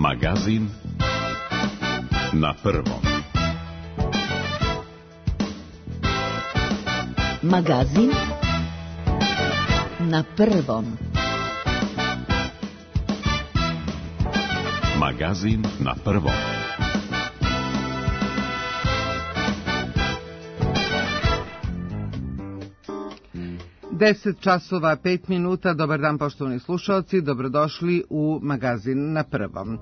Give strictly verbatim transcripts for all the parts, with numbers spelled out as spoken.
Magazin na prvom. Magazin na prvom. Magazin na prvom. deset časova pet minuta, dobar dan poštovani slušalci, dobrodošli u Magazin na prvom.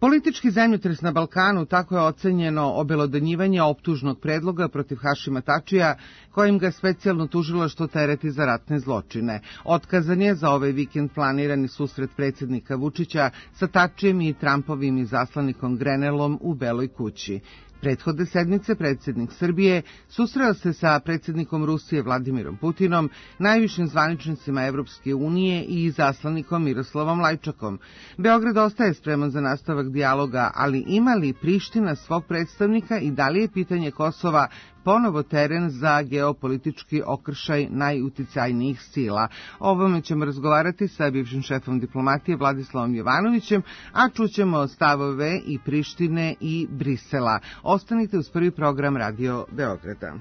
Politički zemljotres na Balkanu, tako je ocenjeno obelodanjivanje optužnog predloga protiv Hašima Tačija, kojim ga specijalno tužilaštvo tereti za ratne zločine. Otkazan je za ovaj vikend planirani susret predsjednika Vučića sa Tačijem i Trumpovim izaslanikom Grenelom u Beloj kući. Prethodne sedmice predsjednik Srbije susreo se sa predsjednikom Rusije Vladimirom Putinom, najvišim zvaničnicima Evropske unije i izaslanikom Miroslavom Lajčakom. Beograd ostaje spreman za nastavak dijaloga, ali ima li Priština svog predstavnika i da li je pitanje Kosova ponovo teren za geopolitički okršaj najuticajnijih sila? O ovome ćemo razgovarati sa bivšim šefom diplomatije Vladislavom Jovanovićem, a čućemo stavove i Prištine i Brisela. Ostanite uz prvi program Radio Beograda.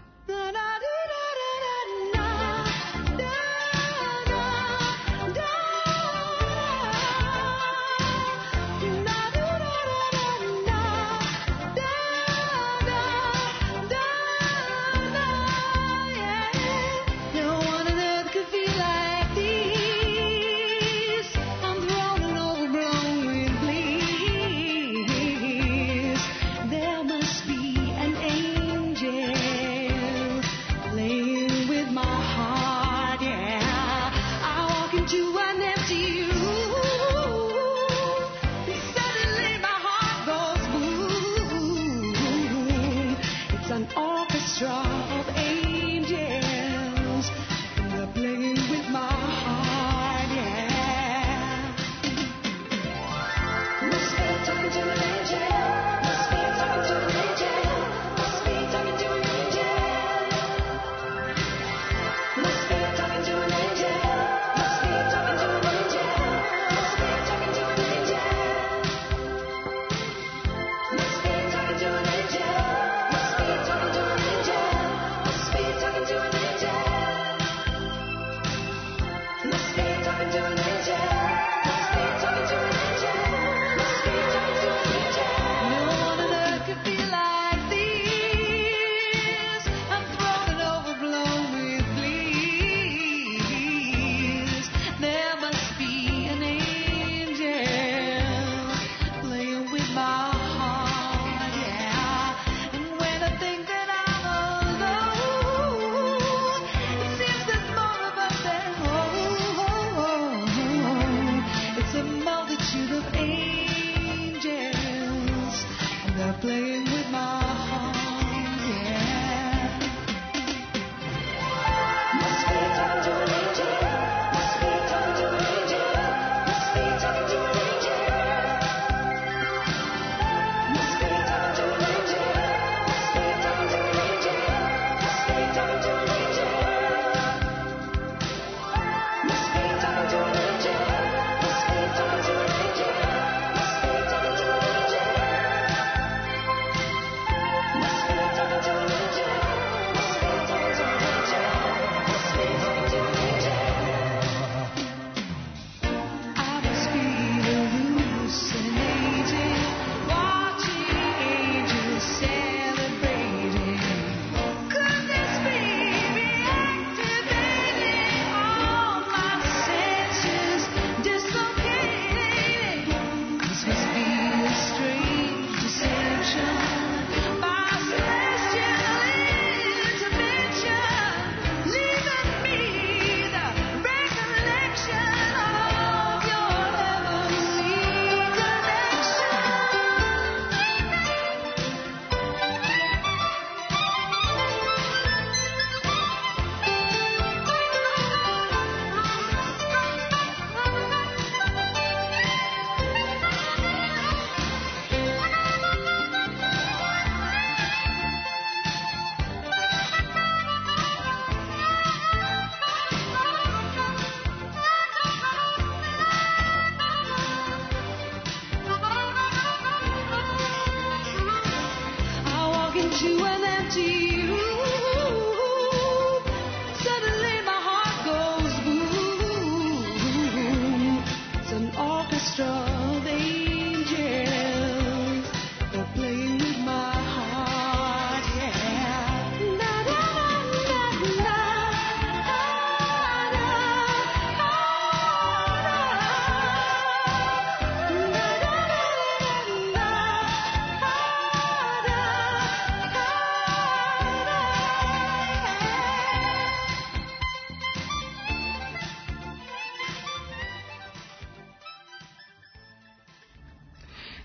There must be an angel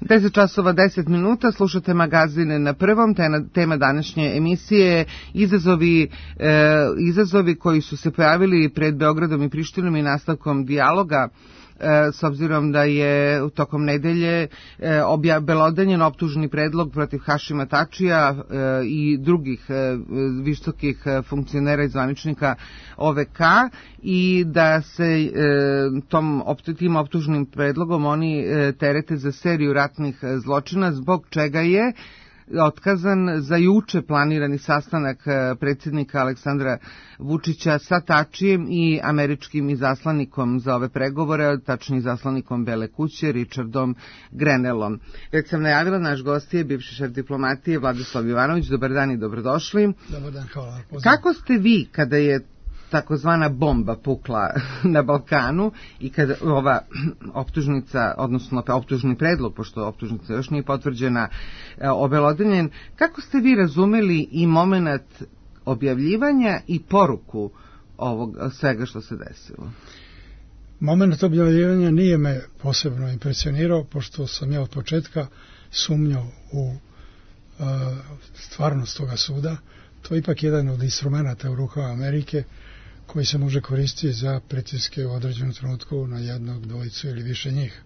deset časova deset minuta, slušate magazine na prvom. Tema današnje emisije je izazovi, e, izazovi koji su se pojavili pred Beogradom i Prištinom i nastavkom dijaloga, e, s obzirom da je tokom nedelje e, obelodanjen optužni predlog protiv Hašima Tačija e, i drugih e, visokih funkcionera i zvaničnika O V K i da se e, tom, tim optužnim predlogom oni e, terete za seriju ratnih zločina, zbog čega je otkazan za juče planirani sastanak predsjednika Aleksandra Vučića sa Tačijem i američkim izaslanikom za ove pregovore, tačnije izaslanikom Bele kuće, Richardom Grenellom. Već sam najavila, naš gost je bivši šef diplomatije Vladislav Jovanović. Dobar dan i dobrodošli. Dobar dan, hvala. Pozdrav. Kako ste vi kada je takozvana bomba pukla na Balkanu i kada ova optužnica, odnosno optužni predlog, pošto optužnica još nije potvrđena, obelodanjen, kako ste vi razumeli i moment objavljivanja i poruku ovog svega što se desilo? Moment objavljivanja nije me posebno impresionirao, pošto sam ja od početka sumnjao u uh, stvarnost toga suda. To je ipak jedan od instrumenta u rukama Amerike koji se može koristiti za pritiske u određenom trenutku na jednog, dvojicu ili više njih.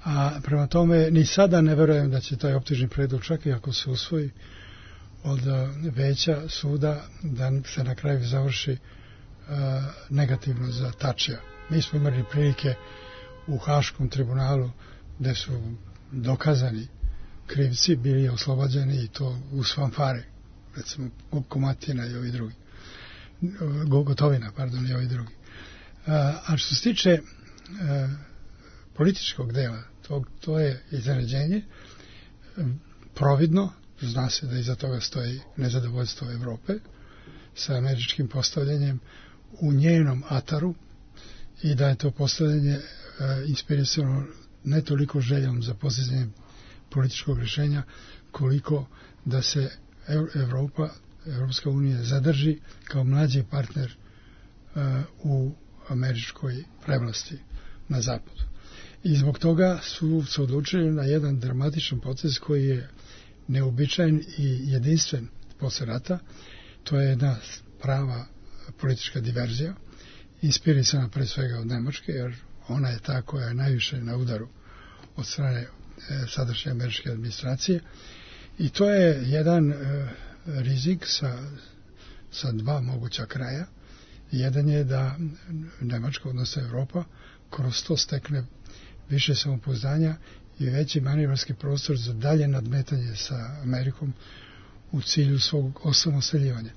A prema tome, ni sada ne verujem da će taj optužni predlog, čak i ako se usvoji od veća suda, da se na kraju završi uh, negativno za Tačija. Mi smo imali prilike u Haškom tribunalu gde su dokazani krivci bili oslobođeni i to uz fanfare, recimo Komatina i ovi drugi. Gotovina, pardon, i ovi drugi. A što se tiče a, političkog dela, to, to je iznenađenje providno, zna se da iza toga stoji nezadovoljstvo Evrope sa američkim postavljanjem u njenom ataru i da je to postavljanje a, inspirisano ne toliko željom za postizanje političkog rješenja, koliko da se Evropa Evropska unija zadrži kao mlađi partner uh, u američkoj prevlasti na zapadu. I zbog toga su se odlučili na jedan dramatičan proces koji je neobičajen i jedinstven posle rata. To je jedna prava politička diverzija, inspirisana pre svega od Nemačke, jer ona je ta koja je najviše na udaru od strane e, sadašnje američke administracije. I to je jedan e, rizik sa, sa dva moguća kraja. Jedan je da Nemačka, odnosno Evropa, kroz to stekne više samopouzdanja i veći manevarski prostor za dalje nadmetanje sa Amerikom u cilju svog osamostaljivanja.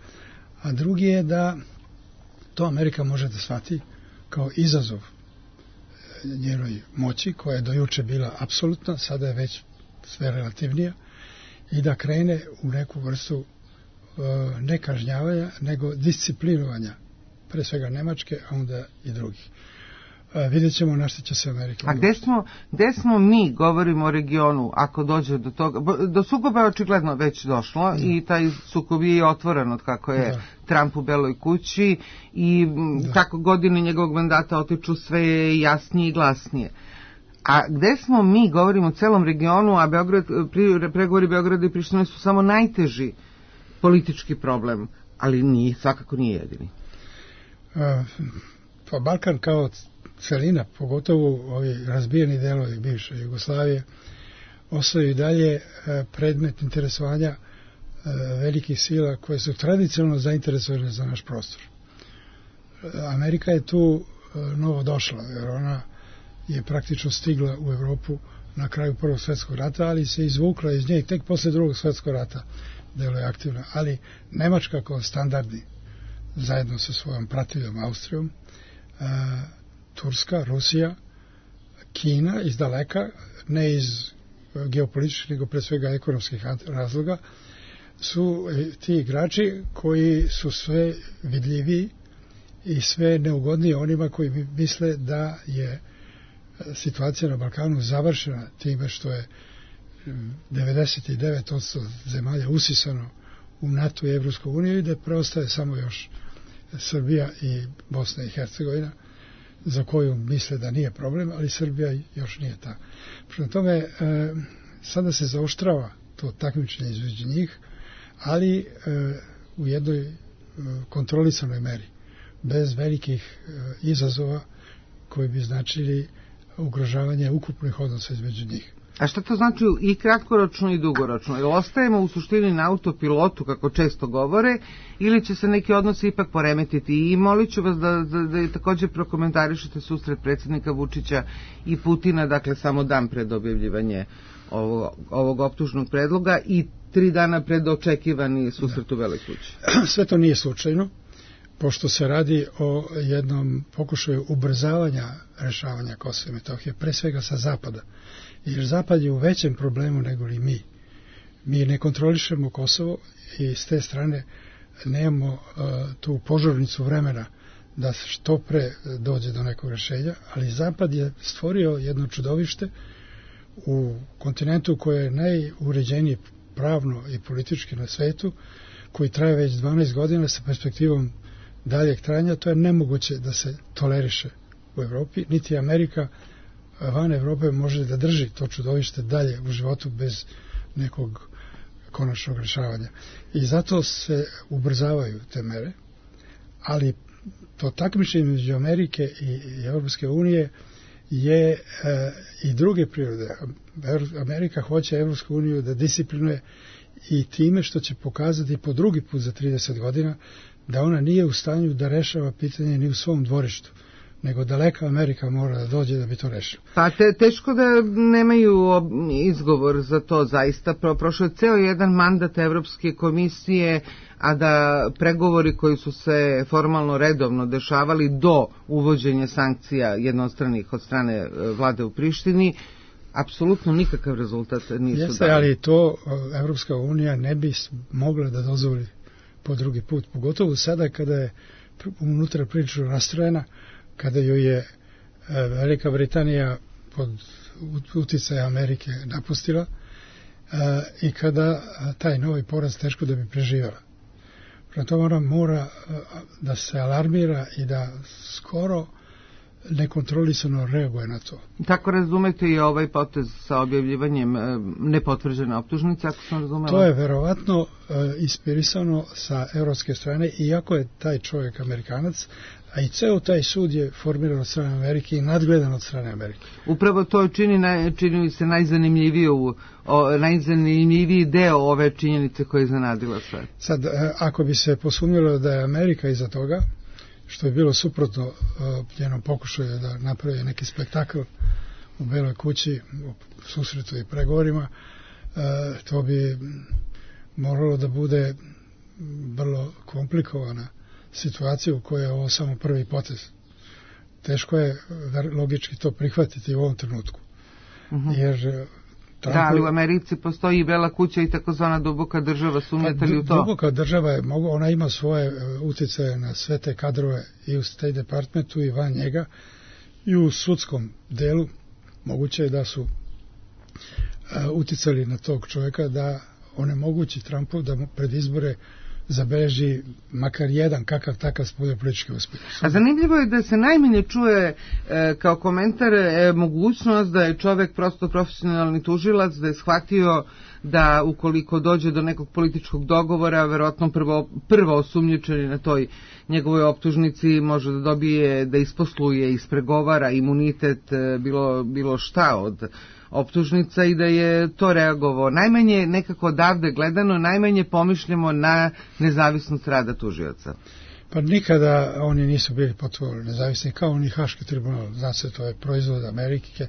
A drugi je da to Amerika može da shvati kao izazov njenoj moći, koja je do juče bila apsolutna, sada je već sve relativnija, i da krene u neku vrstu ne kažnjavanja, nego disciplinovanja, pre svega Nemačke, a onda i drugih. A, vidjet ćemo na što će se Amerika. A gde smo, gde smo mi, govorimo o regionu, ako dođe do toga, do sukoba je očigledno već došlo, da. I taj sukob je otvoren od kako je da. Trump u Beloj kući i da. Kako godine njegovog mandata otiču sve jasnije i glasnije. A gde smo mi, govorimo o celom regionu, a Beograd, pregovori Beograda i Prištine su samo najteži politički problem, ali nije, svakako nije jedini. Uh, pa Balkan kao celina, pogotovo ovi razbijeni delovi bivše Jugoslavije, ostaju i dalje uh, predmet interesovanja uh, velikih sila koje su tradicionalno zainteresovane za naš prostor. Uh, Amerika je tu uh, novo došla, jer ona je praktično stigla u Evropu na kraju Prvog svjetskog rata, ali se izvukla iz nje i tek posle Drugog svjetskog rata deluje aktivno. Ali Nemačka kao standardni, zajedno sa svojom pratiljom Austrijom, e, Turska, Rusija, Kina iz daleka, ne iz geopolitičkih, nego pre svega ekonomskih razloga, su ti igrači koji su sve vidljiviji i sve neugodniji onima koji misle da je situacija na Balkanu završena time što je devedeset devet posto zemalja usisano u NATO i Evropsku uniju i da preostaje samo još Srbija i Bosna i Hercegovina za koju misle da nije problem, ali Srbija još nije ta. Prema tome, e, sada se zaoštrava to takmičenje između njih, ali e, u jednoj e, kontrolisanoj meri, bez velikih e, izazova koji bi značili ugrožavanje ukupnih odnosa između njih. A šta to znači i kratkoročno i dugoročno? Ili ostajemo u suštini na autopilotu, kako često govore, ili će se neki odnosi ipak poremetiti? I molit ću vas da, da, da također prokomentarišete susret predsjednika Vučića i Putina, dakle samo dan pred objavljivanje ovog, ovog optužnog predloga i tri dana pred očekivani susret u Beloj kući. Sve to nije slučajno, pošto se radi o jednom pokušaju ubrzavanja rešavanja Kosova i Metohije, pre svega sa zapada. Jer Zapad je u većem problemu nego li mi. Mi ne kontrolišemo Kosovo i s te strane nemamo uh, tu požurnicu vremena da što pre dođe do nekog rešenja, ali Zapad je stvorio jedno čudovište u kontinentu koje je najuređenije pravno i politički na svetu, koji traje već dvanaest godina sa perspektivom daljeg trajanja. To je nemoguće da se toleriše u Evropi, niti Amerika van Evrope može da drži to čudovište dalje u životu bez nekog konačnog rešavanja. I zato se ubrzavaju te mere, ali to takmičenje među Amerike i Evropske unije je e, i druge prirode. Amerika hoće Evropsku uniju da disciplinuje i time što će pokazati po drugi put za trideset godina da ona nije u stanju da rešava pitanje ni u svom dvorištu, nego daleka Amerika mora da dođe da bi to rešila. Pa te, teško da nemaju izgovor za to zaista. Pro, prošao je ceo jedan mandat Evropske komisije, a da pregovori koji su se formalno redovno dešavali do uvođenja sankcija jednostranih od strane vlade u Prištini, apsolutno nikakav rezultat nisu Jeste, dali. Ali to Evropska unija ne bi mogla da dozvoli po drugi put, pogotovo sada kada je unutra prilično rastrojena, kada joj je Velika Britanija pod uticajem Amerike napustila i kada taj novi poraz teško da bi preživjela. Prema tome ona mora da se alarmira i da skoro nekontrolisano reaguje na to. Tako razumete i ovaj potez sa objavljivanjem nepotvrđene optužnice, ako sam razumela? To je verovatno inspirisano sa evropske strane, iako je taj čovjek Amerikanac, a i ceo taj sud je formiran od strane Amerike i nadgledan od strane Amerike. Upravo to čini, čini se najzanimljiviju, o, najzanimljiviji deo ove činjenice koje je zanadila sve. Sad, ako bi se posumnjalo da je Amerika iza toga, što je bilo suprotno uh, njenom pokušaju da napravi neki spektakl u Beloj kući, u susretu i pregovorima, uh, to bi moralo da bude vrlo komplikovana situacija u kojoj je ovo samo prvi potez. Teško je logički to prihvatiti u ovom trenutku. Uh-huh. Jer Trump... Da, ali u Americi postoji i Bela kuća i takozvana duboka država, sumnjate li u to? Duboka država je, ona ima svoje uticaje na sve te kadrove i u State Departmentu i van njega i u sudskom delu. Moguće je da su uh, uticali na tog čovjeka da onemogući Trumpu da pred izbore zabeleži makar jedan kakav takav spoljnopolitički uspjeh. A zanimljivo je da se najmanje čuje e, kao komentar e, mogućnost da je čovjek prosto profesionalni tužilac, da je shvatio da ukoliko dođe do nekog političkog dogovora, verovatno prvo, prvo osumnjičeni na toj njegovoj optužnici može da dobije, da isposluje, ispregovara imunitet, e, bilo, bilo šta od optužnica i da je to reagovao. Najmanje nekako odavde gledano, najmanje pomišljamo na nezavisnost rada tužioca. Pa nikada oni nisu bili potpuno nezavisni, kao ni Haški tribunal. Zna se, to je proizvod Amerike,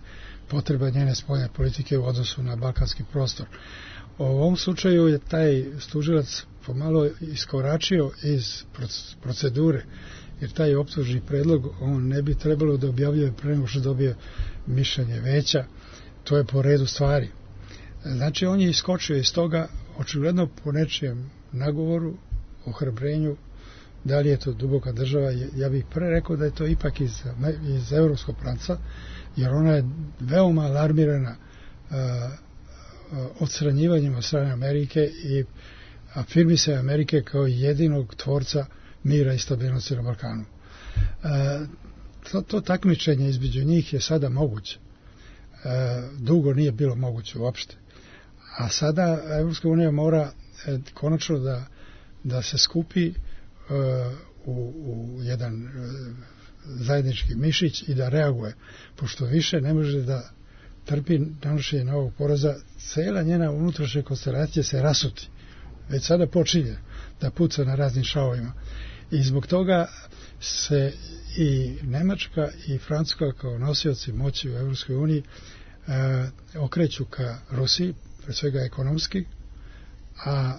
potreba njene spoljne politike u odnosu na balkanski prostor. U ovom slučaju je taj tužilac pomalo iskoračio iz procedure, jer taj optužni predlog on ne bi trebalo da objavljuje pre nego što dobije mišljenje veća. To je po redu stvari. Znači, on je iskočio iz toga, očigledno po nečijem nagovoru, ohrabrenju, da li je to duboka država. Ja bih pre rekao da je to ipak iz, iz evropskog pravca, jer ona je veoma alarmirana uh, odstranjivanjem od strane Amerike i afirmisanje Amerike kao jedinog tvorca mira i stabilnosti na Balkanu. Uh, to, to takmičenje između njih je sada moguće. E, dugo nije bilo moguće uopšte. A sada Evropska unija mora e, konačno da, da se skupi e, u, u jedan e, zajednički mišić i da reaguje, pošto više ne može da trpi nanošenje novog poraza, cela njena unutrašnja konstelacija se rasuti. Već sada počinje da puca na raznim šavovima. I zbog toga se i Nemačka i Francuska kao nosioci moći u Evropskoj uniji e, okreću ka Rusiji, pre svega ekonomski, a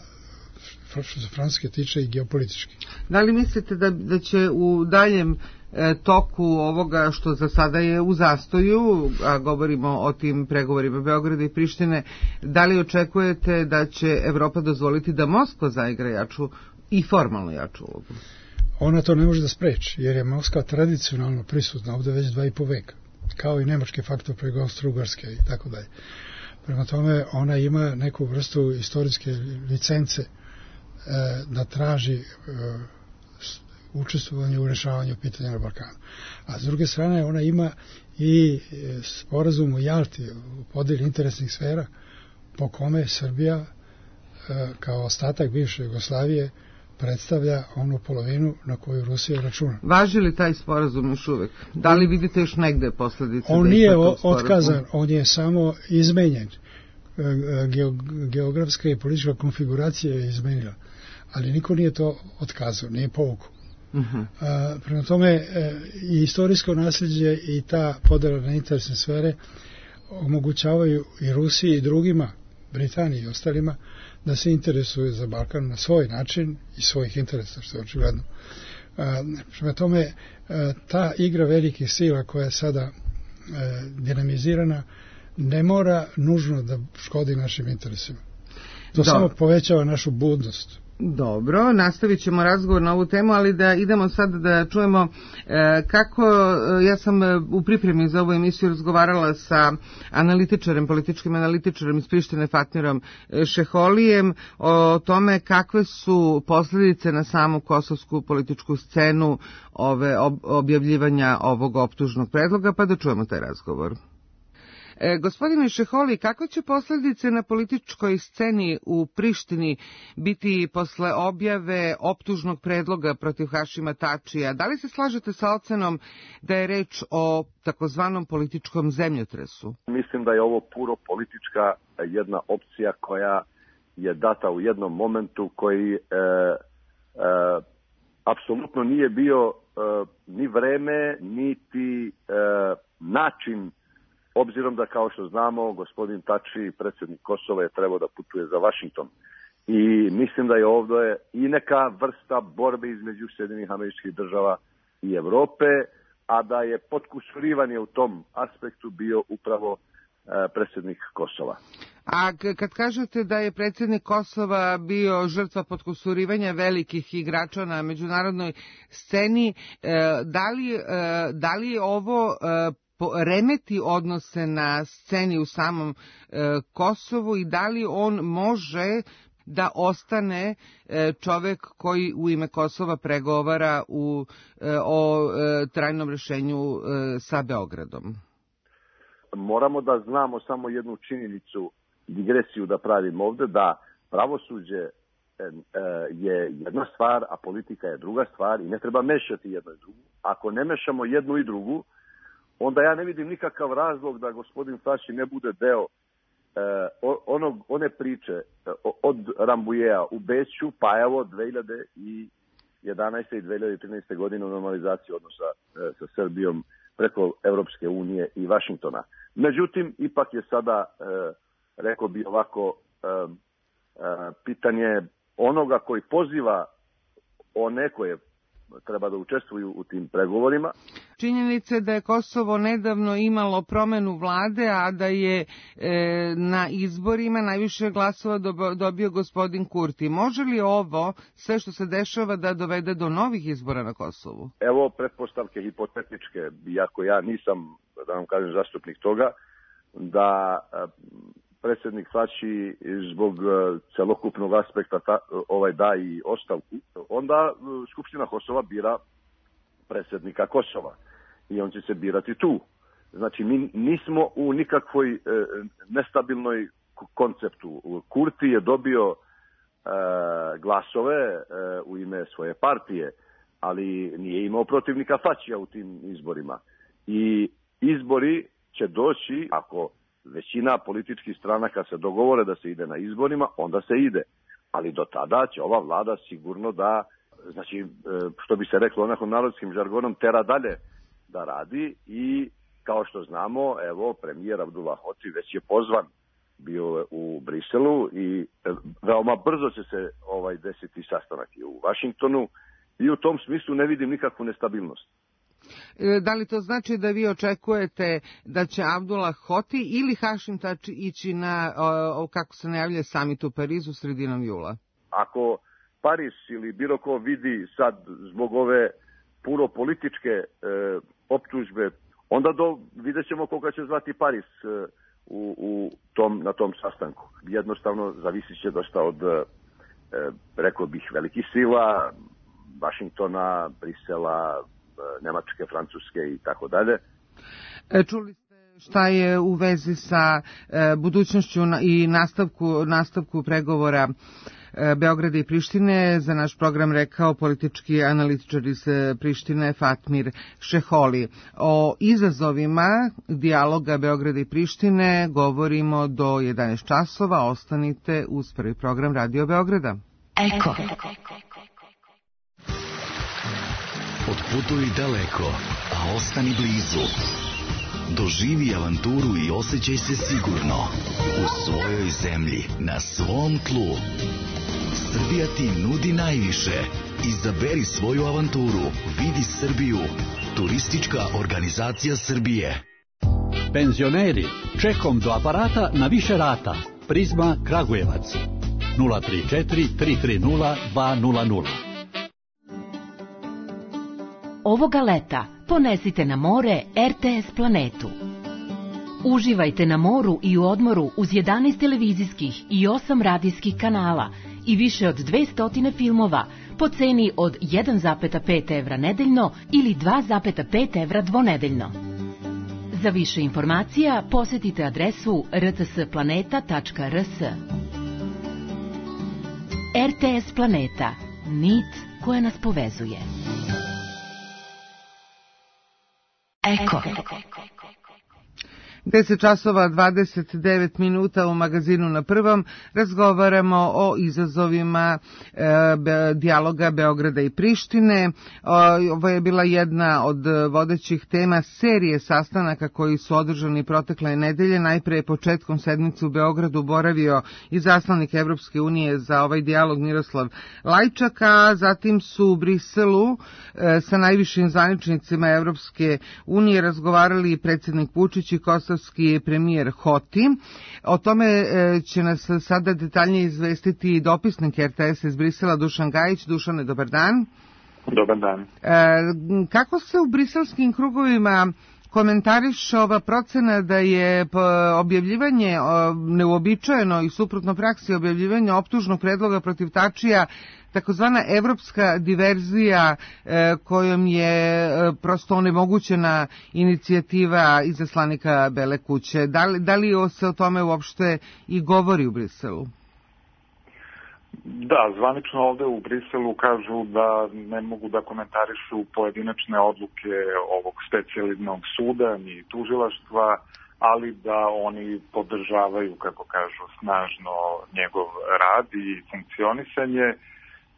što se Francuske tiče i geopolitički. Da li mislite da, da će u daljem e, toku ovoga što za sada je u zastoju, a govorimo o tim pregovorima Beograda i Prištine, da li očekujete da će Evropa dozvoliti da Moskva zaigra jaču i formalno jaču ulogu? Ona to ne može da spreči, jer je Moskva tradicionalno prisutna ovde već dva i po veka, kao i nemački faktor preko Austro-Ugarske i tako dalje. Prema tome, ona ima neku vrstu istorijske licence e, da traži e, učestvovanje u rešavanju pitanja na Balkanu. A s druge strane, ona ima i sporazum u Jalti, u podeli interesnih sfera, po kome Srbija, e, kao ostatak bivše Jugoslavije, predstavlja onu polovinu na koju Rusija računa. Važi li taj sporazum još uvek? Da li vidite još negde posledice? On nije otkazan, on je samo izmenjen. Geografska i politička konfiguracija je izmenila, ali niko nije to otkazao, nije povukao. Uh-huh. Prema tome, i istorijsko nasljeđe i ta podela na interesne sfere omogućavaju i Rusiji i drugima, Britaniji i ostalima, da se interesuje za Balkan na svoj način i svojih interesa, što je očigledno. Prema tome, ta igra velikih sila koja je sada dinamizirana ne mora nužno da škodi našim interesima. To Dobro. Samo povećava našu budnost. Dobro, nastavit ćemo razgovor na ovu temu, ali da idemo sad da čujemo e, kako, ja sam u pripremi za ovu emisiju razgovarala sa analitičarem, političkim analitičarem iz Prištine Fatmirom Šeholijem o tome kakve su posljedice na samu kosovsku političku scenu ove ob, objavljivanja ovog optužnog predloga, pa da čujemo taj razgovor. E, gospodine Šeholi, kako će posljedice na političkoj sceni u Prištini biti posle objave optužnog predloga protiv Hašima Tačija? Da li se slažete sa ocenom da je reč o takozvanom političkom zemljotresu? Mislim da je ovo puro politička jedna opcija koja je data u jednom momentu koji e, e, apsolutno nije bio e, ni vreme, niti e, način, obzirom da, kao što znamo, gospodin Tači, predsjednik Kosova, je trebao da putuje za Vašington. I mislim da je ovdje i neka vrsta borbe između Sjedinjenih Američkih Država i Evrope, a da je potkusurivanje u tom aspektu bio upravo e, predsjednik Kosova. A kad kažete da je predsjednik Kosova bio žrtva potkusurivanja velikih igrača na međunarodnoj sceni, da li, da li je ovo remeti odnose na sceni u samom e, Kosovu i da li on može da ostane e, čovek koji u ime Kosova pregovara u, e, o e, trajnom rešenju e, sa Beogradom? Moramo da znamo samo jednu činjenicu, digresiju da pravimo ovde, da pravosuđe e, je jedna stvar, a politika je druga stvar i ne treba mešati jedno i drugu. Ako ne mešamo jednu i drugu, onda ja ne vidim nikakav razlog da gospodin Tači ne bude deo eh, onog, one priče eh, od Rambujeja u Beću, pa evo dve hiljade jedanaeste i dve hiljade trinaeste godine u normalizaciji odnosa eh, sa Srbijom preko Evropske unije i Vašingtona. Međutim, ipak je sada, eh, rekao bi ovako, eh, eh, pitanje onoga koji poziva one koje treba da učestvuju u tim pregovorima. Činjenica je da je Kosovo nedavno imalo promenu vlade, a da je e, na izborima najviše glasova dobio gospodin Kurti. Može li ovo, sve što se dešava, da dovede do novih izbora na Kosovu? Evo pretpostavke hipotetičke, iako ja nisam, da vam kažem, zastupnik toga, da predsjednik Tači zbog celokupnog aspekta ta, ovaj da i ostavku, onda Skupština Kosova bira predsjednika Kosova. i on će se birati tu. Znači, mi nismo u nikakvoj e, nestabilnoj konceptu. Kurti je dobio e, glasove e, u ime svoje partije, ali nije imao protivnika Fačija u tim izborima. I izbori će doći, ako većina političkih stranaka se dogovore da se ide na izborima, onda se ide. Ali do tada će ova vlada sigurno da, znači, što bi se reklo onako narodskim žargonom, tera dalje da radi i kao što znamo, evo, premijer Abdullah Hoti već je pozvan bio u Briselu i veoma brzo će se ovaj desiti sastanak i u Vašingtonu i u tom smislu ne vidim nikakvu nestabilnost. Da li to znači da vi očekujete da će Abdullah Hoti ili Hašim Tači ići na, o, kako se najavlja, samit u Parizu sredinom jula? Ako Pariz ili bilo ko vidi sad zbog ove puro političke e, optužbe, onda do, vidjet ćemo koga će zvati Pariz e, u, u tom, na tom sastanku. Jednostavno zavisit će dosta od, e, rekao bih, velikih sila, Vašingtona, Brisela, Nemačke, Francuske i tako dalje. Čuli ste šta je u vezi sa e, budućnošću i nastavku, nastavku pregovora e, Beograda i Prištine. Za naš program rekao politički analitičar iz Prištine Fatmir Šeholi. O izazovima dijaloga Beograda i Prištine govorimo do jedanaest časova. Ostanite uz prvi program Radio Beograda. Eko. Otputuj daleko, a ostani blizu. Doživi avanturu i osjećaj se sigurno u svojoj zemlji, na svom tlu. Srbija ti nudi najviše. Izaberi svoju avanturu. Vidi Srbiju. Turistička organizacija Srbije. Penzioneri, čekom do aparata na više rata. Prizma Kragujevac. nula tri četiri tri tri nula dva nula nula. Ovoga leta ponesite na more R T S Planetu. Uživajte na moru i u odmoru uz jedanaest televizijskih i osam radijskih kanala i više od dvesta filmova po ceni od jedan zarez pet evra nedeljno ili dva zarez pet evra dvonedeljno. Za više informacija posetite adresu r t s planeta tačka r s. R T S Planeta. Nit koja nas povezuje. Eko. deset časova dvadeset devet minuta u magazinu Na prvom razgovaramo o izazovima e, be, dijaloga Beograda i Prištine. O, ovo je bila jedna od vodećih tema serije sastanaka koji su održani protekle nedelje. Najpre je početkom sedmice u Beogradu boravio i zaslanik Evropske unije za ovaj dijalog Miroslav Lajčak, a zatim su u Briselu e, sa najvišim zvaničnicima Evropske unije razgovarali predsjednik Vučić i Kosovski premijer Hoti. O tome će nas sada detaljnije izvestiti dopisnik R T S iz Brisela Dušan Gajić. Dušane, dobar dan. Dobar dan. Kako se u briselskim krugovima komentariše ova procena da je objavljivanje neuobičajeno i suprotno praksi objavljivanja optužnog predloga protiv Tačija takozvana evropska diverzija e, kojom je e, prosto onemogućena inicijativa izaslanika Bele kuće. Da li, da li se o tome uopšte i govori u Briselu? Da, zvanično ovde u Briselu kažu da ne mogu da komentarišu pojedinačne odluke ovog specijaliznog suda ni tužilaštva, ali da oni podržavaju, kako kažu, snažno njegov rad i funkcionisanje.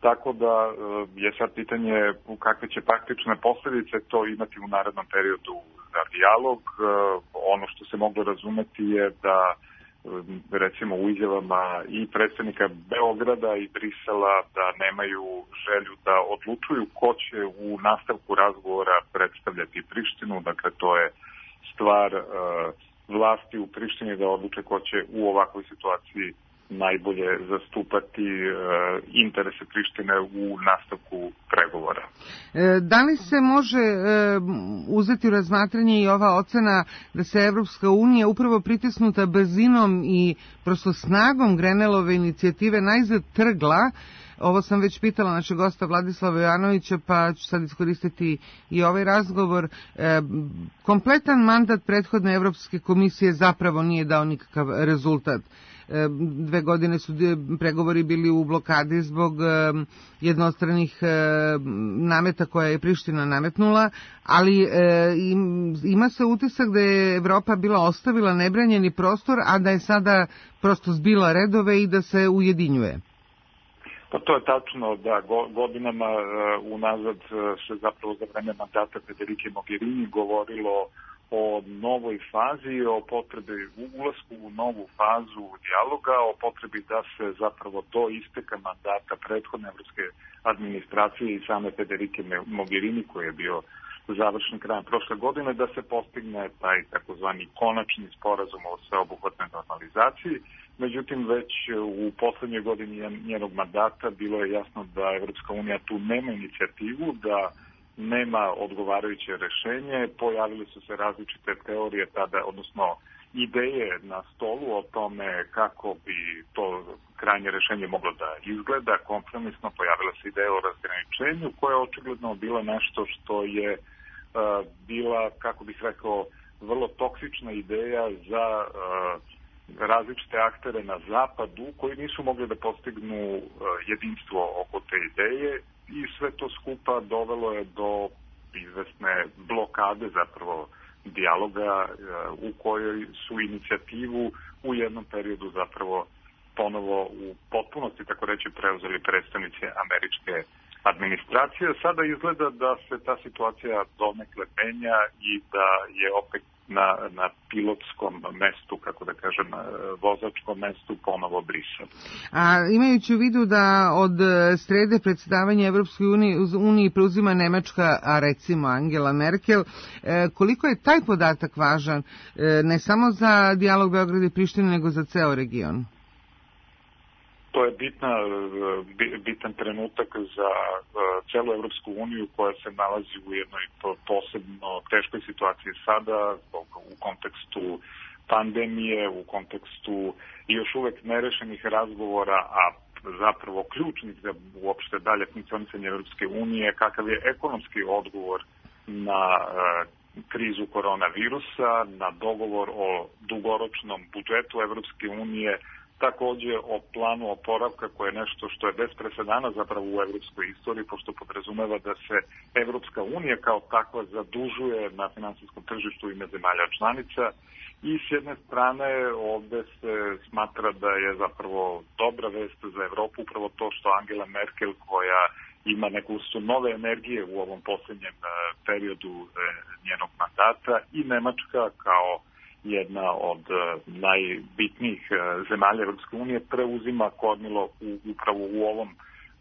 Tako da je sad pitanje kakve će praktične posljedice to imati u narednom periodu za dijalog. Ono što se moglo razumeti je da recimo u izjavama i predstavnika Beograda i Brisela da nemaju želju da odlučuju ko će u nastavku razgovora predstavljati Prištinu. Dakle, to je stvar uh, vlasti u Prištini da odluče ko će u ovakvoj situaciji najbolje zastupati e, interese Prištine u nastavku pregovora. E, da li se može e, uzeti u razmatranje i ova ocena da se Evropska unija upravo pritisnuta brzinom i prosto snagom Grenellove inicijative najzad trgla Ovo sam već pitala našeg gosta Vladislava Jovanovića, pa ću sad iskoristiti i ovaj razgovor. E, kompletan mandat prethodne Evropske komisije zapravo nije dao nikakav rezultat. E, dve godine su pregovori bili u blokadi zbog e, jednostranih e, nameta koje je Priština nametnula, ali e, im, ima se utisak da je Evropa bila ostavila nebranjeni prostor, a da je sada prosto zbila redove i da se ujedinjuje. Pa to je tačno, da godinama uh, unazad se zapravo za vreme mandata Federike Mogherini govorilo o novoj fazi, o potrebi ulasku u novu fazu dijaloga, o potrebi da se zapravo do isteka mandata prethodne evropske administracije i same Federike Mogherini, koji je bio završen krajem prošle godine, da se postigne taj takozvani konačni sporazum o sveobuhvatnoj normalizaciji. Međutim, već u poslednjoj godini njenog mandata bilo je jasno da Evropska unija tu nema inicijativu, da nema odgovarajuće rešenje. Pojavile su se različite teorije tada, odnosno ideje na stolu o tome kako bi to krajnje rešenje moglo da izgleda. Kompromisno pojavila se ideja o razgraničenju, koja je očigledno bila nešto što je uh, bila, kako bih rekao, vrlo toksična ideja za uh, različite aktere na zapadu koji nisu mogli da postignu uh, jedinstvo oko te ideje i sve to skupa dovelo je do izvesne blokade zapravo dijaloga uh, u kojoj su inicijativu u jednom periodu zapravo ponovo u potpunosti, tako reći, preuzeli predstavnici američke administracije. Sada izgleda da se ta situacija donekle menja i da je opet na, na pilotskom mestu, kako da kažem, vozačkom mestu ponovo Brisel. A imajući u vidu da od srede predsedavanja Evropskoj uniji, uniji preuzima Nemačka, a recimo Angela Merkel, koliko je taj podatak važan ne samo za dijalog Beograda i Prištine, nego za ceo region? To je bitna, bitan trenutak za celu Evropsku uniju koja se nalazi u jednoj posebno teškoj situaciji sada u kontekstu pandemije, u kontekstu još uvek nerešenih razgovora, a zapravo ključnih za uopšte dalje funkcionisanje Evropske unije, kakav je ekonomski odgovor na krizu koronavirusa, na dogovor o dugoročnom budžetu Evropske unije, takođe o planu oporavka, koje je nešto što je bez presedana zapravo u evropskoj istoriji, pošto podrazumeva da se Evropska unija kao takva zadužuje na finansijskom tržištu ime zemalja članica. I s jedne strane ovde se smatra da je zapravo dobra vest za Evropu upravo to što Angela Merkel, koja ima neku vrstu nove energije u ovom poslednjem periodu njenog mandata, i Nemačka kao jedna od najbitnijih zemalja Evropske unije preuzima kormilo u, upravo u ovom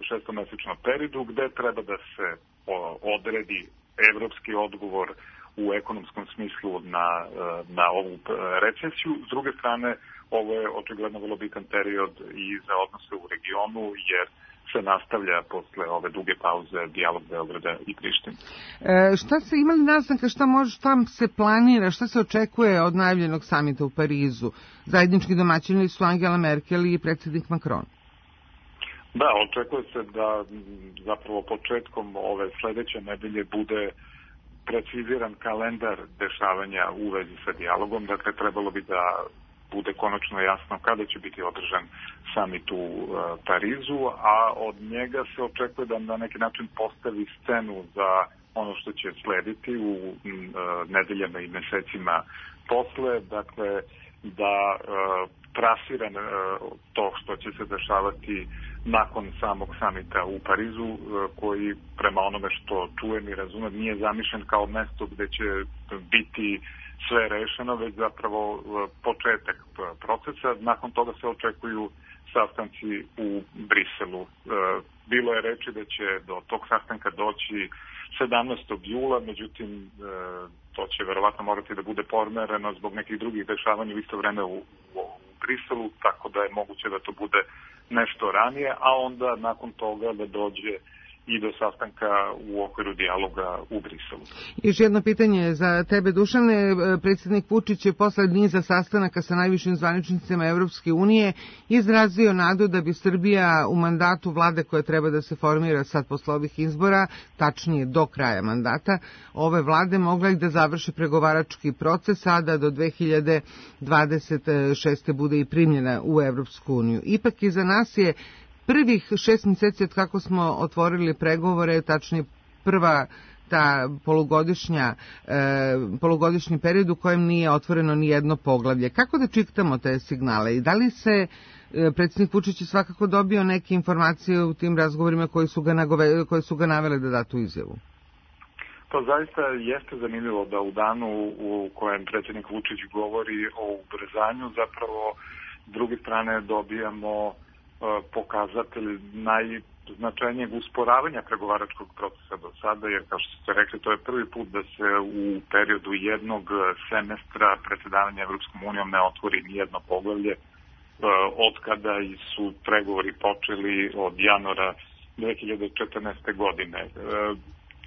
šestomesečnom periodu, gde treba da se odredi evropski odgovor u ekonomskom smislu na, na ovu recesiju. S druge strane, ovo je očigledno vrlo bitan period i za odnose u regionu, jer se nastavlja posle ove duge pauze dijalog Beograda i Prištine. E, šta se imali naznaka, šta može, šta se planira, šta se očekuje od najavljenog samita u Parizu? Zajednički domaćini su Angela Merkel i predsjednik Macron. Da, očekuje se da zapravo početkom ove sledeće nedelje bude preciziran kalendar dešavanja u vezi sa dijalogom. Dakle, trebalo bi da bude konačno jasno kada će biti održan samit u uh, Parizu, a od njega se očekuje da na neki način postavi scenu za ono što će slediti u uh, nedeljama i mesecima posle, dakle da uh, trasira uh, to što će se dešavati nakon samog samita u Parizu, uh, koji prema onome što čujem i razumem nije zamišljen kao mesto gde će biti sve rešeno, već zapravo početak procesa. Nakon toga se očekuju sastanci u Briselu. Bilo je reči da će do tog sastanka doći sedamnaestog jula, međutim to će verovatno morati da bude pomereno zbog nekih drugih dešavanja u isto vreme u, u Briselu, tako da je moguće da to bude nešto ranije, a onda nakon toga da dođe i do sastanka u okviru dijaloga u Briselu. Još jedno pitanje za tebe, Dušane. Predsjednik Vučić je posle niza sastanaka sa najvišim zvaničnicima Evropske unije izrazio nadu da bi Srbija u mandatu vlade koja treba da se formira sad posle ovih izbora, tačnije do kraja mandata ove vlade, mogla i da završi pregovarački proces, a da do dve hiljade dvadeset šeste bude i primljena u Evropsku uniju. Ipak iza nas je prvih šest mjeseci od kako smo otvorili pregovore, tačnije prva ta polugodišnja, e, polugodišnji period u kojem nije otvoreno ni jedno poglavlje. Kako da čitamo te signale i da li se e, predsjednik Vučić je svakako dobio neke informacije u tim razgovorima koji su ga, nagove, koji su ga navele da da tu izjavu? Pa zaista jeste zanimljivo da u danu u kojem predsjednik Vučić govori o ubrzanju, zapravo s druge strane dobijamo pokazatelj najznačajnijeg usporavanja pregovaračkog procesa do sada, jer kao što ste rekli, to je prvi put da se u periodu jednog semestra predsjedavanja Evropskom unijom ne otvori nijedno poglavlje od kada su pregovori počeli od januara dve hiljade četrnaeste. godine.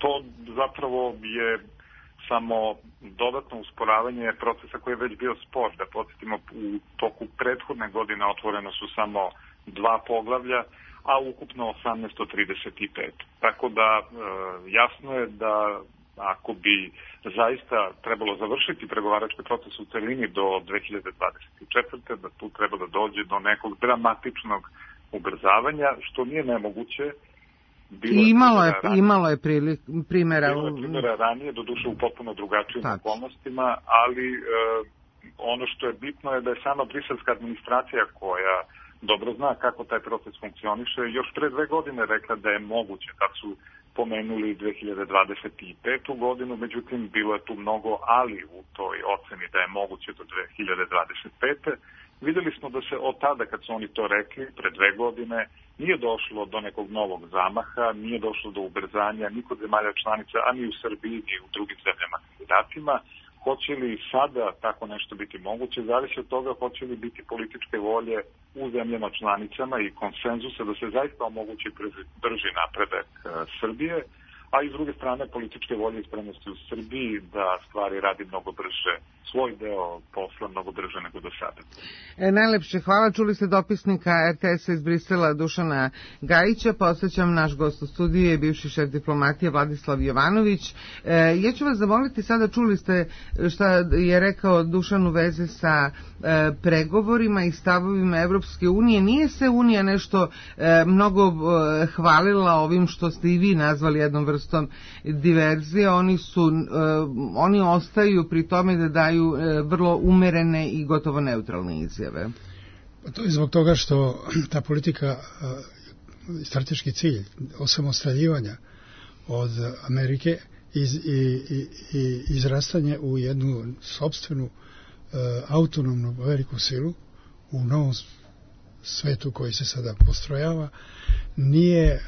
To zapravo je samo dodatno usporavanje procesa koji je već bio spor. Da podsjetimo, u toku prethodne godine otvoreno su samo dva poglavlja, a ukupno osamnaest od trideset pet. Tako da e, jasno je da ako bi zaista trebalo završiti pregovarački proces u celini do dve hiljade dvadeset četvrte. da tu treba da dođe do nekog dramatičnog ubrzavanja, što nije nemoguće. Bilo je imalo je, imalo je prilik, primjera. Bilo je primjera ranije, doduše u potpuno drugačijim okolnostima, ali e, ono što je bitno je da je sama briselska administracija, koja dobro zna kako taj proces funkcioniše, još pre dve godine rekla da je moguće, kad su pomenuli dve hiljade dvadeset petu. godinu, međutim bilo je tu mnogo ali u toj oceni da je moguće do dve hiljade dvadeset pete. Videli smo da se od tada, kad su oni to rekli, pre dve godine, nije došlo do nekog novog zamaha, nije došlo do ubrzanja ni kod zemalja članica, a ni u Srbiji, ni u drugim zemljama kandidatima. Hoće li sada tako nešto biti moguće, zavisi od toga hoće li biti političke volje u zemljama članicama i konsenzusa da se zaista omogući brži napredak Srbije, a i s druge strane političke volje i spremnosti u Srbiji da stvari radi mnogo brže, svoj deo posla mnogo brže nego do sada. E, najlepše hvala. Čuli ste dopisnika er te es iz Brisela Dušana Gajića. Posvećam, naš gost u studiju je bivši šef diplomatije Vladislav Jovanović. E, ja ću vas zamoliti sada, čuli ste šta je rekao Dušan u vezi sa e, pregovorima i stavovima Evropske unije. Nije se Unija nešto e, mnogo e, hvalila ovim što ste i vi nazvali jednom vrstom diverzije. Oni su, e, oni ostaju pri tome da daju vrlo umerene i gotovo neutralne izjave. To je zbog toga što ta politika, strateški cilj osamostaljivanja od Amerike iz, i, i, i izrastanje u jednu sopstvenu autonomnu veliku silu u novom svetu koji se sada postrojava, nije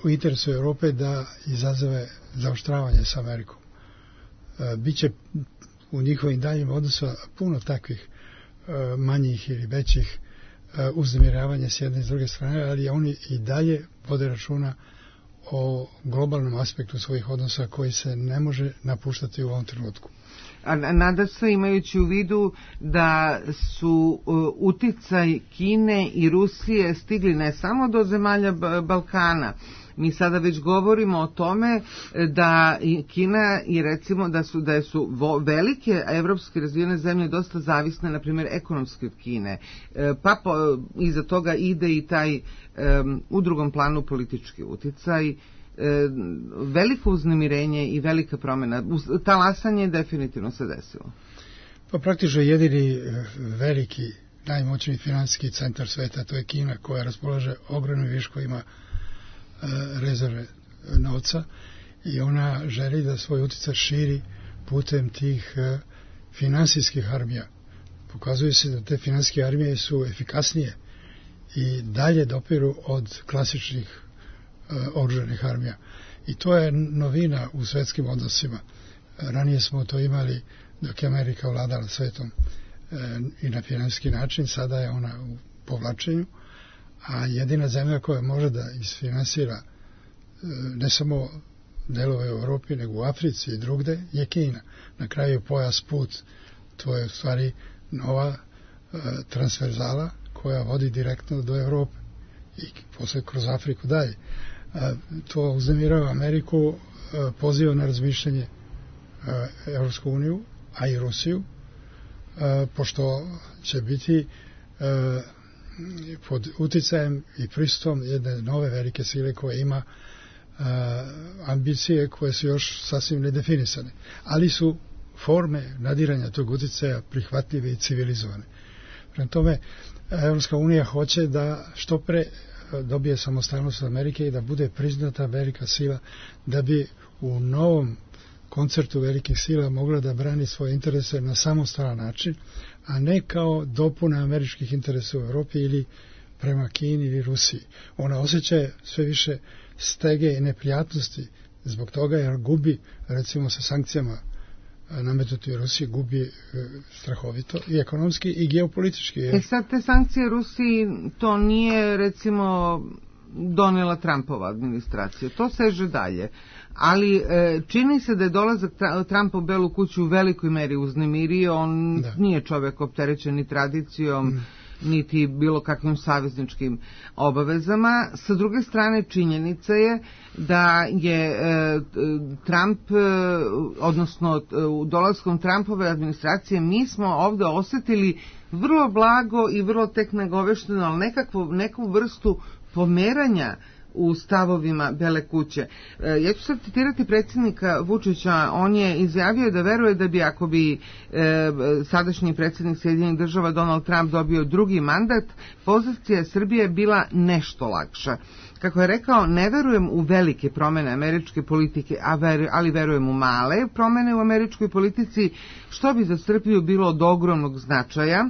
u interesu Europe da izazove zaoštravanje sa Amerikom. Biće u njihovim daljim odnosima puno takvih manjih ili većih uznemiravanja s jedne i s druge strane, ali oni i dalje vode računa o globalnom aspektu svojih odnosa koji se ne može napuštati u ovom trenutku. A nada se, imajući u vidu da su uticaj Kine i Rusije stigli ne samo do zemalja Balkana. Mi sada već govorimo o tome da Kina i recimo da su da su velike evropske razvijene zemlje dosta zavisne, na primjer, ekonomski od Kine. Pa po, iza toga ide i taj um, u drugom planu politički uticaj. Veliko uznemirenje i velika promjena. Talasanje definitivno se desilo. Pa praktično jedini veliki, najmoćniji finansijski centar sveta, to je Kina, koja raspolaže ogromnim viškovima rezerve novca i ona želi da svoj utjecaj širi putem tih finansijskih armija. Pokazuje se da te finansijske armije su efikasnije i dalje dopiru od klasičnih oružanih armija. I to je novina u svetskim odnosima. Ranije smo to imali dok je Amerika vladala svetom i na finansijski način, sada je ona u povlačenju, a jedina zemlja koja može da isfinansira ne samo delove u Europi, nego u Africi i drugde, je Kina. Na kraju pojas put, to je u stvari nova e, transverzala koja vodi direktno do Europe i posle kroz Afriku dalje. E, to uznemirava Ameriku, e, poziva na razmišljanje e, Evropsku uniju, a i Rusiju, e, pošto će biti e, pod uticajem i prisustvom jedne nove velike sile koja ima Uh, ambicije koje su još sasvim nedefinisane, ali su forme nadiranja tog uticaja prihvatljive i civilizovane. Prema tome, Evropska unija hoće da što pre dobije samostalnost Amerike i da bude priznata velika sila, da bi u novom koncertu velikih sila mogla da brani svoje interese na samostalan način, a ne kao dopuna američkih interesa u Evropi ili prema Kini ili Rusiji. Ona osjeća sve više stege i neprijatnosti zbog toga, jer gubi, recimo sa sankcijama nametnuti u Rusiji, gubi e, strahovito i ekonomski i geopolitički. Jer... E sad te sankcije Rusiji, to nije recimo donela Trumpova administracija, to seže dalje. Ali e, čini se da je dolazak Trumpa u Belu kuću u velikoj meri uznemirio, on da. Nije čovjek opterećen ni tradicijom, mm. niti bilo kakvim savezničkim obavezama. Sa druge strane, činjenica je da je e, Trump, e, odnosno u dolaskom Trumpove administracije, mi smo ovdje osjetili vrlo blago i vrlo tek nagovešteno, ali nekakvu, neku vrstu pomeranja u stavovima Bele kuće. E, ja ću sad citirati predsjednika Vučića, on je izjavio da veruje da bi ako bi e, sadašnji predsjednik Sjedinjenih država Donald Trump dobio drugi mandat, pozicija Srbije bila nešto lakša. Kako je rekao, ne verujem u velike promjene američke politike, a ver, ali verujem u male promjene u američkoj politici, što bi za Srbiju bilo od ogromnog značaja.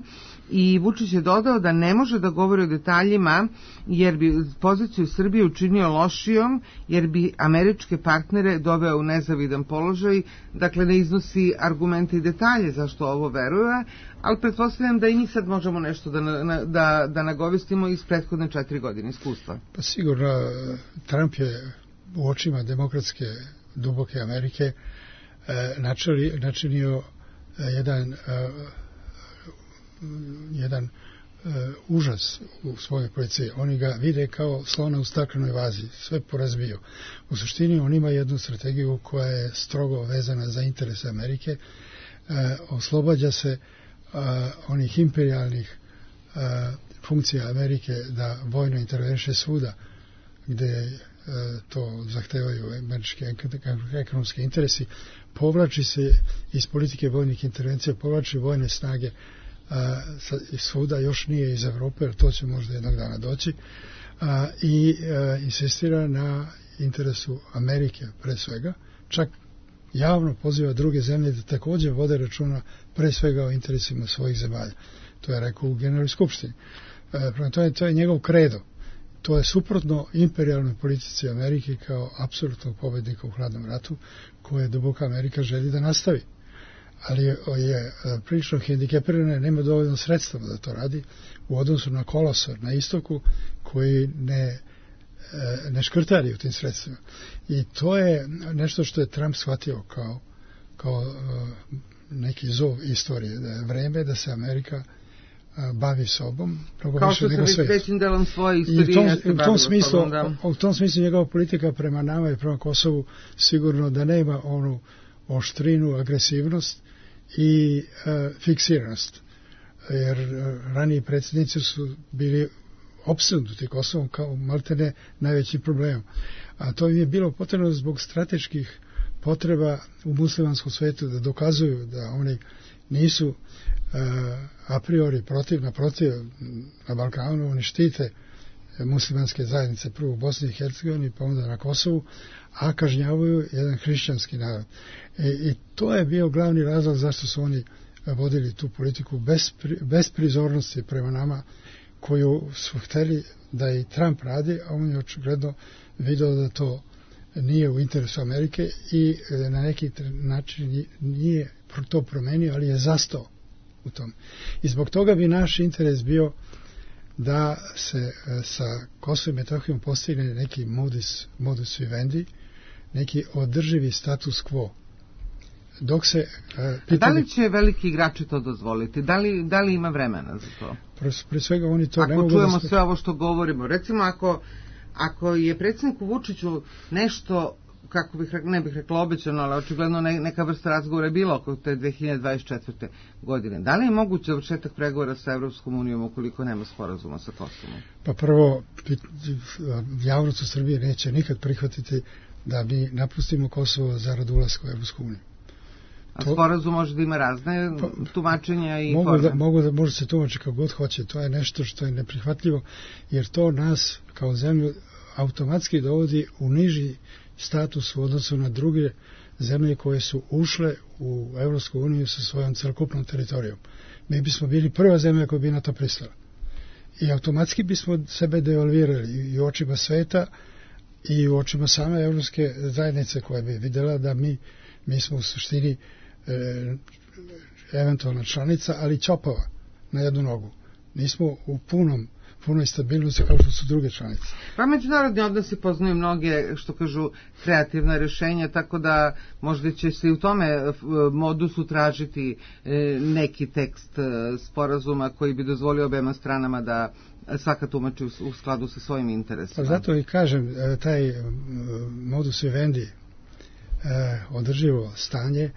I Vučić je dodao da ne može da govori o detaljima jer bi poziciju Srbije učinio lošijom, jer bi američke partnere doveo u nezavidan položaj, dakle ne iznosi argumente i detalje zašto ovo veruje, ali pretpostavljam da i mi sad možemo nešto da, da, da nagovestimo iz prethodne četiri godine iskustva. Pa sigurno, Trump je u očima demokratske duboke Amerike eh, načeli, načinio eh, jedan eh, jedan uh, užas u svojoj policiji. Oni ga vide kao slona u staklenoj vazi, sve porazbio. U suštini on ima jednu strategiju koja je strogo vezana za interese Amerike, uh, oslobađa se uh, onih imperialnih uh, funkcija Amerike da vojno interveniše svuda gde uh, to zahtevaju američki ekonomski interesi, povlači se iz politike vojnih intervencija, povlači vojne snage a, iz svuda, još nije iz Evrope, jer to će možda jednog dana doći, a, i a, insistira na interesu Amerike pre svega, čak javno poziva druge zemlje da također vode računa pre svega o interesima svojih zemalja. To je rekao u Generalnoj skupštini. E, prema to je, to je njegov kredo. To je suprotno imperijalnoj politici Amerike kao apsolutnog pobednika u hladnom ratu, koje duboka Amerika želi da nastavi. Ali je, je prilično hendikepirana, nema dovoljno sredstva da to radi u odnosu na kolosor na istoku koji ne, ne škrtari u tim sredstvima. I to je nešto što je Trump shvatio kao, kao neki zov istorije, da je vreme da se Amerika bavi sobom, kao što se već većim delom svoje istorije u tom smislu, u tom smislu njegova politika prema nama i prema Kosovu sigurno da nema onu oštrinu, agresivnost i e, fiksiranost, jer raniji predsjednici su bili opsednuti Kosovom kao maltene najveći problem, a to im je bilo potrebno zbog strateških potreba u muslimanskom svetu da dokazuju da oni nisu a priori protiv, naprotiv, na Balkanu oni štite muslimanske zajednice prvo u Bosni i Hercegovini pa onda na Kosovu, a kažnjavaju jedan hrišćanski narod. I, i to je bio glavni razlog zašto su oni vodili tu politiku bez, bez prizornosti prema nama, koju su hteli da i Trump radi, a on je očigledno vidio da to nije u interesu Amerike i na neki način nije to promenio, ali je zastao u tom. I zbog toga bi naš interes bio da se sa Kosovom i Metohijom postigne neki modus, modus vivendi, neki održivi status quo. Dok se, uh, pitanje... Da li će veliki igrači to dozvoliti? Da li, da li ima vremena za to? Pre svega oni to ako ne mogu čujemo da... Ako sve ovo što govorimo, recimo ako, ako je predsjedniku Vučiću nešto, kako bih rekla, ne bih rekla obećano, ali očigledno ne, neka vrsta razgovora je bila oko te dve hiljade dvadeset četvrte. godine. Da li je moguće završetak pregovora sa Evropskom unijom ukoliko nema sporazuma sa Kosovom? Pa prvo, javnost u Srbiji neće nikad prihvatiti da mi napustimo Kosovo zarad ulaska u Evropsku uniju. A sporazum može da ima razne pa, tumačenja i mogu forme? Da, mogu da može se tumači kako god hoće. To je nešto što je neprihvatljivo, jer to nas kao zemlju automatski dovodi u niži status u odnosu na druge zemlje koje su ušle u Evropsku uniju sa svojom celokupnom teritorijom. Mi bismo bili prva zemlja koja bi na to pristala. I automatski bismo sebe devalvirali i u očima sveta i u očima same evropske zajednice koja bi videla da mi, mi smo u suštini e, eventualna članica, ali ćopava na jednu nogu. Nismo u punom punoj stabilnosti kao što su druge članice. Pa međunarodni odnosi poznaju mnoge, što kažu, kreativna rješenja, tako da možda će se i u tome modusu tražiti neki tekst sporazuma koji bi dozvolio obema stranama da svaka tumači u skladu sa svojim interesima. Pa zato i kažem, taj modus vivendi, održivo stanje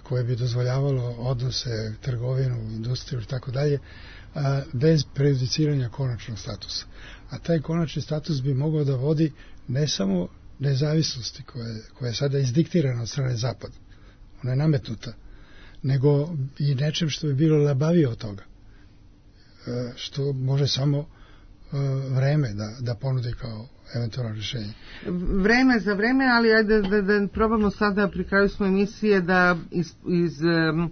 koje bi dozvoljavalo odnose, trgovinu, industriju i tako dalje, bez prejudiciranja konačnog statusa. A taj konačni status bi mogao da vodi ne samo nezavisnosti koja je, koja je sada izdiktirana od strane Zapada, ona je nametnuta, nego i nečem što bi bilo labavije od toga, što može samo vreme da, da ponudi kao eventualno rješenje. Vreme za vreme, ali ajde da, da, da probamo sada pri kraju smo emisije da iz, iz um,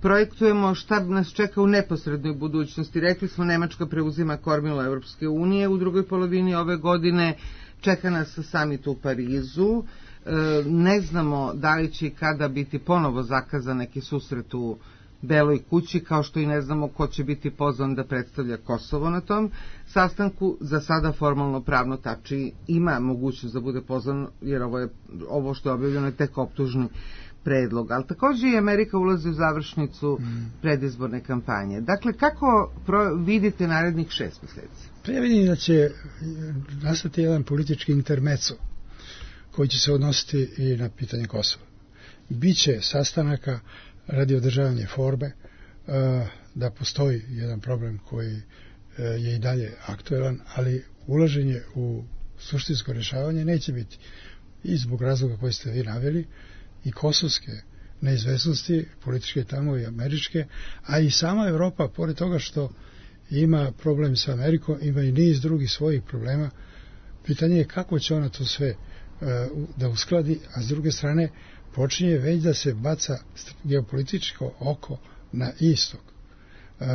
projektujemo šta nas čeka u neposrednoj budućnosti. Rekli smo, Nemačka preuzima kormilo Evropske unije u drugoj polovini ove godine, čeka nas samit u Parizu, e, ne znamo da li će i kada biti ponovo zakazan neki susret u Beloj kući, kao što i ne znamo ko će biti pozvan da predstavlja Kosovo na tom sastanku. Za sada formalno pravno Tači ima mogućnost da bude pozvan, jer ovo, je, ovo što je objavljeno je tek optužni predlog, ali također i Amerika ulazi u završnicu mm. predizborne kampanje. Dakle, kako pro, vidite narednih šest mjeseci? Pa ja vidim da će nastati jedan politički intermeco koji će se odnositi i na pitanje Kosova. Biće sastanaka radi održavanja forme, da postoji jedan problem koji je i dalje aktuelan, ali ulaženje u suštinsko rješavanje neće biti i zbog razloga koji ste vi naveli, i kosovske neizvesnosti, političke tamo i američke, a i sama Evropa, pored toga što ima problem sa Amerikom, ima i niz drugih svojih problema. Pitanje je kako će ona to sve uh, da uskladi, a s druge strane počinje već da se baca geopolitičko oko na istok. Uh,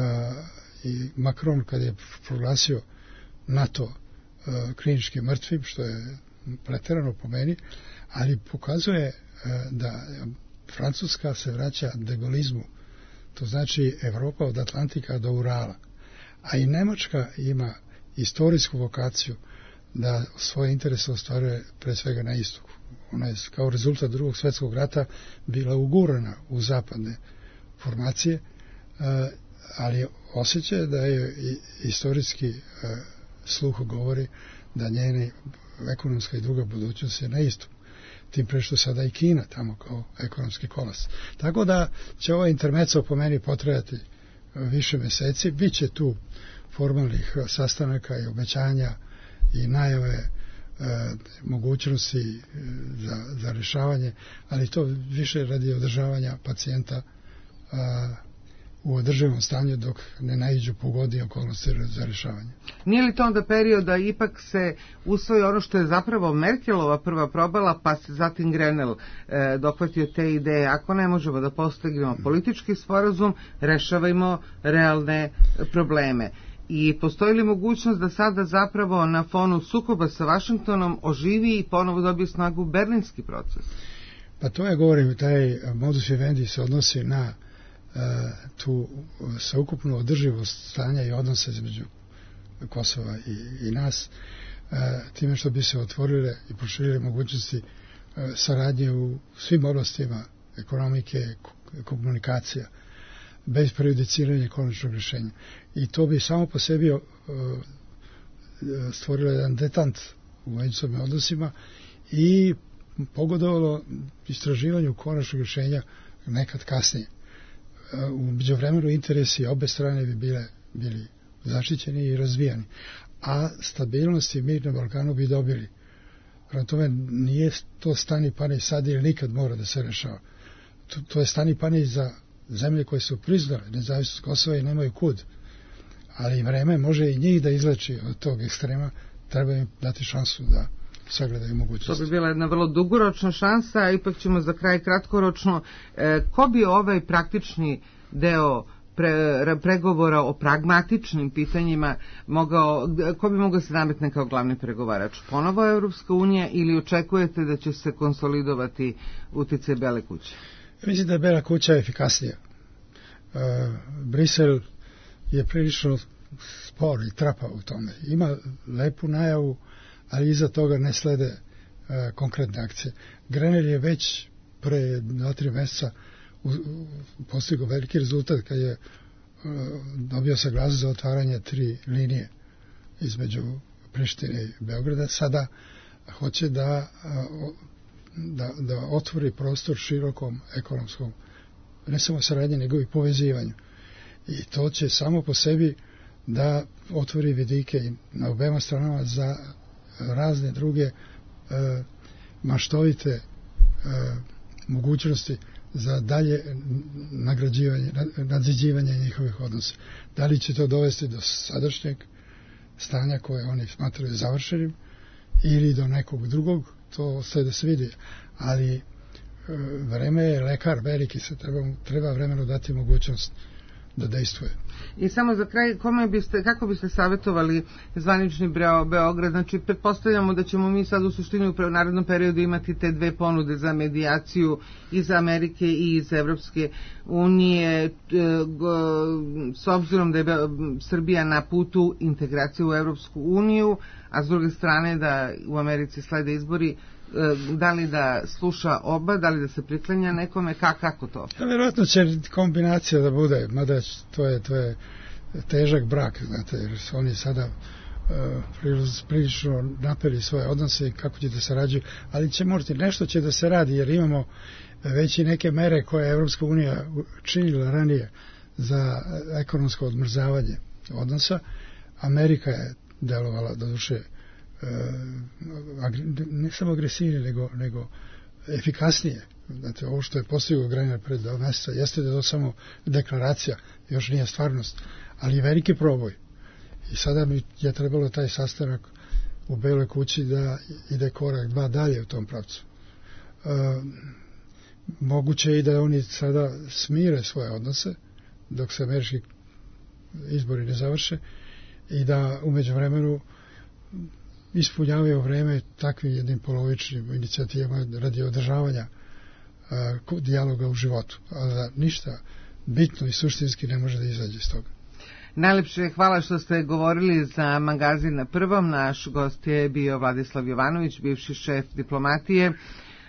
I Macron, kad je proglasio NATO uh, klinički mrtvim, što je preterano po meni, ali pokazuje da Francuska se vraća degolizmu, to znači Evropa od Atlantika do Urala, a i Nemačka ima istorijsku vokaciju da svoje interese ostvaruje pre svega na istoku. Ona je kao rezultat drugog svjetskog rata bila ugurana u zapadne formacije, ali osjeća da je istorijski sluh govori da njene ekonomska i druga budućnost je na istoku. Tim pre što sada i Kina tamo kao ekonomski kolas. Tako da će ovaj intermeco po meni potrajati više mjeseci. Biće tu formalnih sastanaka i obećanja i najave e, mogućnosti za, za rješavanje, ali to više radi održavanja pacijenta a, u održivom stanju dok ne naiđu pogodnije okolnosti za rješavanje. Nije li to onda period da ipak se usvoji ono što je zapravo Merkelova prva probala, pa se zatim Grenell e, dohvatio te ideje? Ako ne možemo da postignemo politički sporazum, rešavajmo realne probleme. I postoji li mogućnost da sada zapravo na fonu sukoba sa Vašingtonom oživi i ponovo dobije snagu berlinski proces? Pa to ja govorim, taj modus vivendi se odnosi na Uh, tu sveukupnu održivost stanja i odnosa između Kosova i, i nas, time što bi se otvorile i proširile mogućnosti saradnje u svim oblastima ekonomike, komunikacija, bez prejudiciranja konačnog rješenja. I to bi samo po sebi stvorilo jedan detant u međusobnim odnosima i pogodovalo istraživanju konačnog rješenja nekad kasnije. U međuvremenu interesi obe strane bi bile, bili zaštićeni i razvijani, a stabilnost i mir na Balkanu bi dobili. Prema tome, nije to stani pani sad ili nikad mora da se rešava. To, to je stani pani za zemlje koje su priznale nezavisnost Kosova i nemaju kud. Ali vreme može i njih da izleči od tog ekstrema, treba im dati šansu da sagledaju mogućnosti. To bi bila jedna vrlo dugoročna šansa, a ipak ćemo za kraj kratkoročno. E, ko bi ovaj praktični deo pre, pregovora o pragmatičnim pitanjima mogao, ko bi mogao se nametne kao glavni pregovarač? Ponovo Evropska unija ili očekujete da će se konsolidovati uticaj Bele kuće? Ja mislim da je Bela kuća efikasnija. E, Brisel je prilično spor i trapa u tome. Ima lepu najavu, ali iza toga ne slede e, konkretne akcije. Grenell je već pre dva, tri mjeseca postigao veliki rezultat kad je e, dobio saglasnost za otvaranje tri linije između Prištine i Beograda. Sada hoće da, da, da otvori prostor širokom ekonomskom, ne samo saradnje, nego i povezivanju. I to će samo po sebi da otvori vidike na obema stranama za razne druge e, maštovite e, mogućnosti za dalje nagrađivanje, nadziđivanje njihovih odnosa. Da li će to dovesti do sadašnjeg stanja koje oni smatraju završenim ili do nekog drugog, to ostaje da se vidi. Ali e, vreme je lekar veliki, se treba, treba vremeno dati mogućnost da dejstvuje. I samo za kraj, kome biste, kako biste savjetovali zvanični Beograd? Znači, pretpostavljamo da ćemo mi sad u suštini u narednom periodu imati te dve ponude za medijaciju iz Amerike i iz Evropske unije. S obzirom da je Srbija na putu integracije u Evropsku uniju, a s druge strane da u Americi slede izbori, da li da sluša oba, da li da se priklanja nekome, kako, kako to? Ja, vjerojatno će kombinacija da bude, mada to je, to je težak brak, znate, jer su oni sada uh, prilično napeli svoje odnose i kako će da se rađuju, ali će morati, nešto će da se radi, jer imamo već i neke mere koje je Evropska unija činila ranije za ekonomsko odmrzavanje odnosa. Amerika je delovala do duše ne samo agresivnije, nego, nego efikasnije. Znate, ovo što je postigao Grenell pred dva mjeseca jeste da je to samo deklaracija, još nije stvarnost, ali je veliki proboj. I sada mi je trebalo taj sastanak u Beloj kući da ide korak dva dalje u tom pravcu. E, moguće je i da oni sada smire svoje odnose dok se američki izbori ne završe i da umeđu vremenu ispunjavaju vreme takvim jednim polovičnim inicijativama radi održavanja uh, dijaloga u životu, a da ništa bitno i suštinski ne može da izađe iz toga. Najlepše hvala što ste govorili za magazin Na prvom. Naš gost je bio Vladislav Jovanović, bivši šef diplomatije.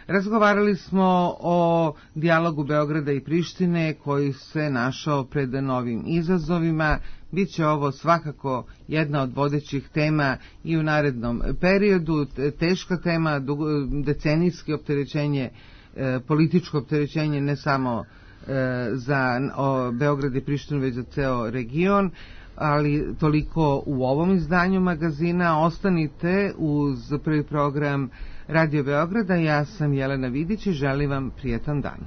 Razgovarali smo o dijalogu Beograda i Prištine koji se našao pred novim izazovima. Biće ovo svakako jedna od vodećih tema i u narednom periodu. Teška tema, decenijski opterećenje, političko opterećenje ne samo za Beograd i Prištinu, već za ceo region. Ali toliko u ovom izdanju magazina. Ostanite uz prvi program Radio Beograda. Ja sam Jelena Vidić i želim vam prijetan dan.